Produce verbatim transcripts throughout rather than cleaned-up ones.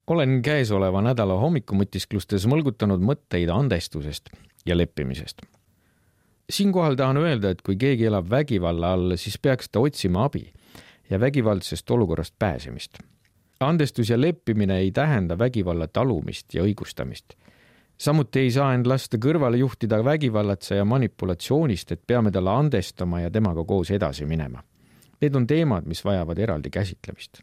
Olen käesoleva nädala hommikumutistklustes mõlgutanud mõtteid andestusest ja leppimisest. Siinkohal tahan öelda, et kui keegi elab vägivalla all, siis peaks ta otsima abi ja vägivaldsest olukorrast pääsemist. Andestus ja leppimine ei tähenda vägivalla talumist ja õigustamist. Samuti ei saa end lasta kõrvale juhtida vägivallatse ja manipulatsioonist, et peame talle andestama ja temaga koos edasi minema. Need on teemad, mis vajavad eraldi käsitlemist.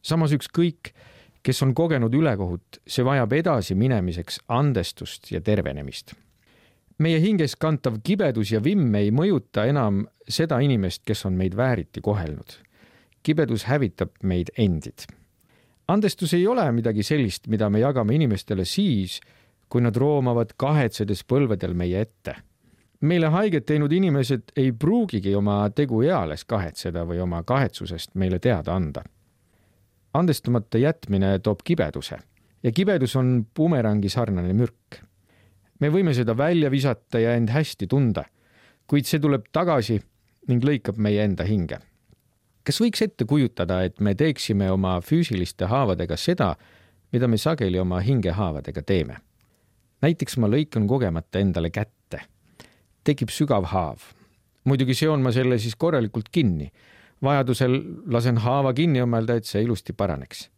Samas ükskõik, kes on kogenud ülekohut, see vajab edasi minemiseks andestust ja tervenemist. Meie hinges kantav kibedus ja vimm ei mõjuta enam seda inimest, kes on meid vääriti kohelnud. Kibedus hävitab meid endid. Andestus ei ole midagi sellist, mida me jagame inimestele siis, kui nad roomavad kahetsedes põlvedel meie ette. Meile haiget teinud inimesed ei pruugigi oma tegu eales kahetseda või oma kahetsusest meile teada anda. Andestumata jätmine toob kibeduse ja kibedus on bumerangi sarnane mürk. Me võime seda välja visata ja end hästi tunda, kuid see tuleb tagasi ning lõikab meie enda hinge. Kas võiks ette kujutada, et me teeksime oma füüsiliste haavadega seda, mida me sageli oma hingehaavadega teeme? Näiteks ma lõikan kogemata endale kätte. Tekib sügav haav. Muidugi seon ma selle siis korralikult kinni. Vajadusel lasen haava kinni omelda, et see ilusti paraneks.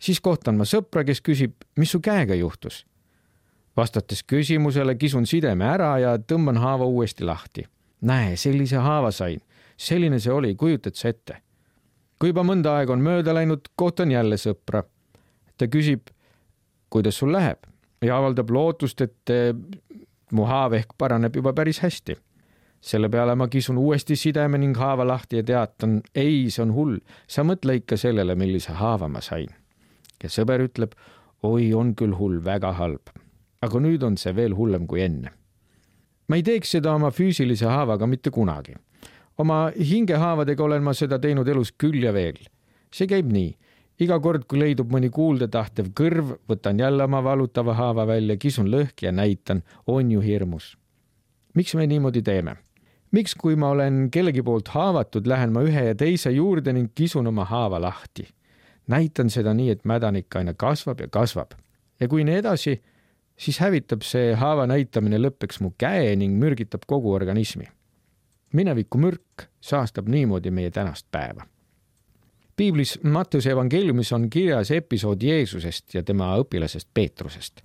Siis kohtan ma sõpra, kes küsib, mis su käega juhtus? Vastates küsimusele kisun sideme ära ja tõmban haava uuesti lahti. Näe, sellise haava sain. Selline see oli, kujutad sa ette. Kui juba mõnda aeg on mööda läinud, kohtan jälle sõpra. Ta küsib, kuidas sul läheb? Ja avaldab lootust, et mu haav ehk paraneb juba päris hästi. Selle peale ma kisun uuesti sideme ning haava lahti ja teatan, ei, see on hull. Sa mõtle ikka sellele, millise haava ma sain. Ja sõber ütleb, oi, on küll hull, väga halb. Aga nüüd on see veel hullem kui enne. Ma ei teeks seda oma füüsilise haavaga mitte kunagi. Oma hingehaavadega olen ma seda teinud elus küll ja veel. See käib nii. Iga kord, kui leidub mõni kuulda tahtev kõrv, võtan jälle oma valutava haava välja, kisun lõhki ja näitan, on ju hirmus. Miks me niimoodi teeme? Miks, kui ma olen kellegi poolt haavatud, lähen ma ühe ja teise juurde ning kisun oma haava lahti? Näitan seda nii, et mädanik aina kasvab ja kasvab. Ja kui nii edasi, siis hävitab see haava näitamine lõppeks mu käe ning mürgitab kogu organismi. Mineviku mürk saastab niimoodi meie tänast päeva. Piiblis Matteuse evangeeliumis on kirjas episood Jeesusest ja tema õpilasest Peetrusest.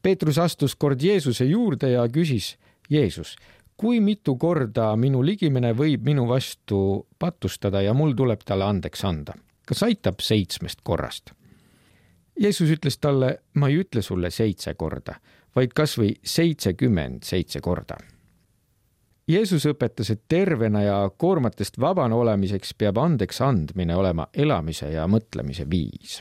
Peetrus astus kord Jeesuse juurde ja küsis, Jeesus, kui mitu korda minu ligimene võib minu vastu patustada ja mul tuleb talle andeks anda? Kas aitab seitsmest korrast? Jeesus ütles talle, ma ei ütle sulle seitse korda, vaid kas või seitsekümmend seitse korda. Jeesus õpetas, et tervena ja koormatest vabana olemiseks peab andeks andmine olema elamise ja mõtlemise viis.